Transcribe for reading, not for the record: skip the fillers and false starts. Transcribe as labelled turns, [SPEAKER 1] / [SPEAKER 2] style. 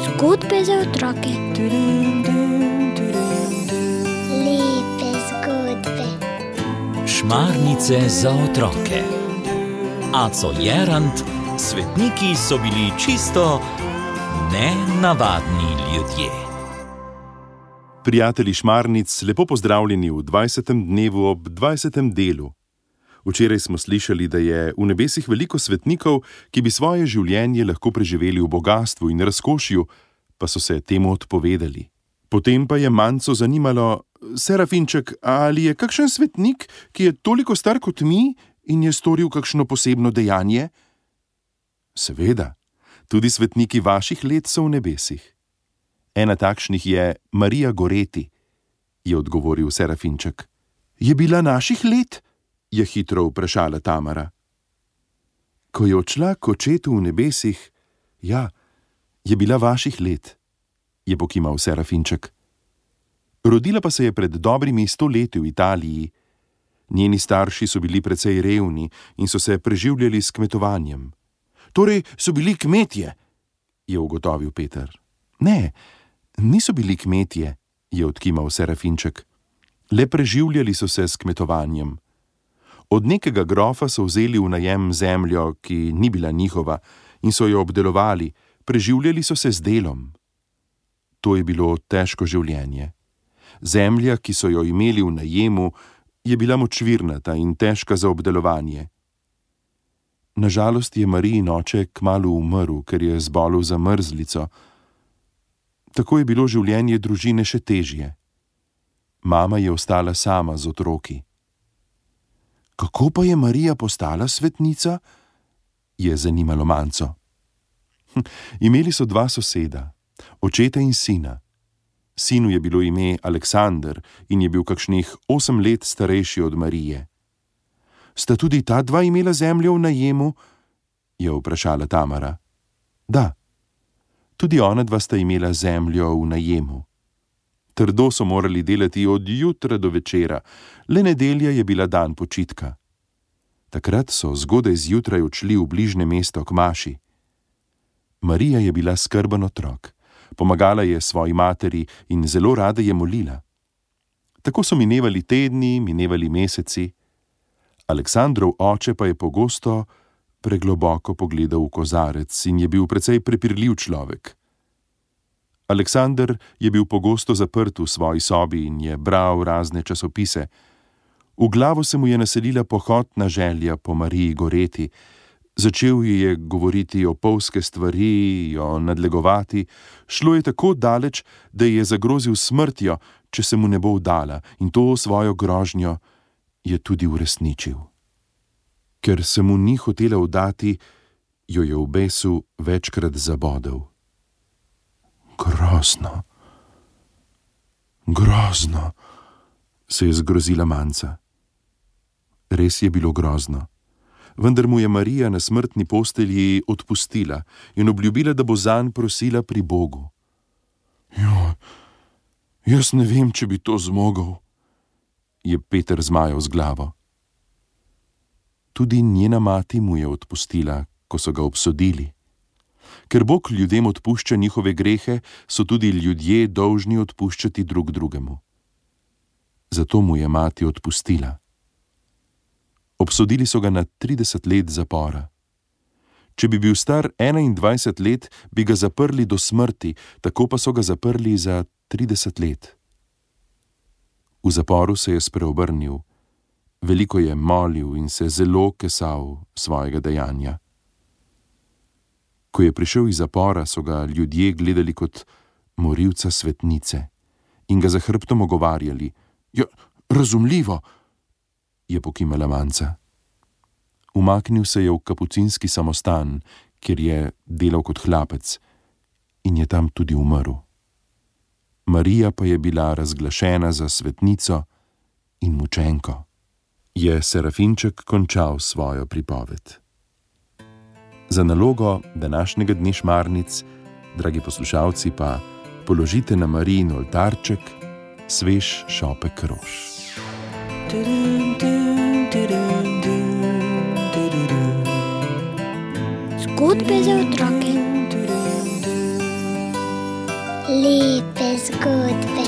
[SPEAKER 1] Zgodbe za otroke. Lepe zgodbe.
[SPEAKER 2] Šmarnice za otroke. Aco Jerant, svetniki so bili čisto nenavadni ljudje.
[SPEAKER 3] Prijatelji šmarnic, lepo pozdravljeni v 20. dnevu ob 20. delu. Včeraj smo slišali, da je v nebesih veliko svetnikov, ki bi svoje življenje lahko preživeli v bogastvu in razkošju, pa so se temu odpovedali. Potem pa je Manco zanimalo: Serafinček, ali je kakšen svetnik, ki je toliko star kot mi in je storil kakšno posebno dejanje? Seveda, tudi svetniki vaših let so v nebesih. Ena takšnih je Marija Goreti, je odgovoril Serafinček. Je bila naših let? Je hitro vprašala Tamara. Ko je odšla k očetu v nebesih, ja, je bila vaših let, je pokimal Serafinček. Rodila pa se je pred dobrimi 100 leti v Italiji. Njeni starši so bili precej revni in so se preživljali s kmetovanjem. Torej so bili kmetje, je ugotovil Peter. Ne, niso bili kmetje, je odkimal Serafinček. Le preživljali so se s kmetovanjem. Od nekega grofa so vzeli v najem zemljo, ki ni bila njihova, in so jo obdelovali, preživljali so se z delom. To je bilo težko življenje. Zemlja, ki so jo imeli v najemu, je bila močvirnata in težka za obdelovanje. Nažalost je Marijin oče kmalu umrl, ker je zbolel za mrzlico. Tako je bilo življenje družine še težje. Mama je ostala sama z otroki. Kako pa je Marija postala svetnica? Je zanimalo Manco. Imeli so 2 soseda, očeta in sina. Sinu je bilo ime Aleksander in je bil kakšnih 8 let starejši od Marije. Sta tudi ta 2 imela zemljo v najemu? Je vprašala Tamara. Da, tudi ona 2 sta imela zemljo v najemu. Trdo so morali delati od jutra do večera, le nedelja je bila dan počitka. Takrat so zgodaj zjutraj odšli v bližnje mesto k maši. Marija je bila skrben otrok, pomagala je svoji materi in zelo rada je molila. Tako so minevali tedni, minevali meseci. Aleksandrov oče pa je pogosto pregloboko pogledal v kozarec in je bil precej prepirljiv človek. Aleksander je bil pogosto zaprt v svoji sobi in je bral razne časopise. V glavo se mu je naselila pohotna želja po Mariji Goreti. Začel je govoriti opolske stvari, jo nadlegovati. Šlo je tako daleč, da je zagrozil smrtjo, če se mu ne bo vdala, in to svojo grožnjo je tudi uresničil. Ker se mu ni hotela vdati, jo je v besu večkrat zabodel. Grozno, grozno, se je zgrozila Manca. Res je bilo grozno, vendar mu je Marija na smrtni postelji odpustila in obljubila, da bo zanj prosila pri Bogu. Jo, jaz ne vem, če bi to zmogel, je Peter zmajal z glavo. Tudi njena mati mu je odpustila, ko so ga obsodili. Ker Bog ljudem odpušča njihove grehe, so tudi ljudje dolžni odpuščati drug drugemu. Zato mu je mati odpustila. Obsodili so ga na 30 let zapora. Če bi bil star 21 let, bi ga zaprli do smrti, tako pa so ga zaprli za 30 let. V zaporu se je spreobrnil, veliko je molil in se zelo kesal svojega dejanja. Ko je prišel iz zapora, so ga ljudje gledali kot morilca svetnice in ga za hrbtom ogovarjali. Ja, razumljivo, je pokimala Manca. Umaknil se je v kapucinski samostan, kjer je delal kot hlapec, in je tam tudi umrl. Marija pa je bila razglašena za svetnico in mučenko. Je Serafinček končal svojo pripoved. Za nalogo današnjega dne šmarnic, dragi poslušalci, pa položite na Marijin oltarček svež šopek rož.
[SPEAKER 1] Zgodbe za otroke. Lepe zgodbe.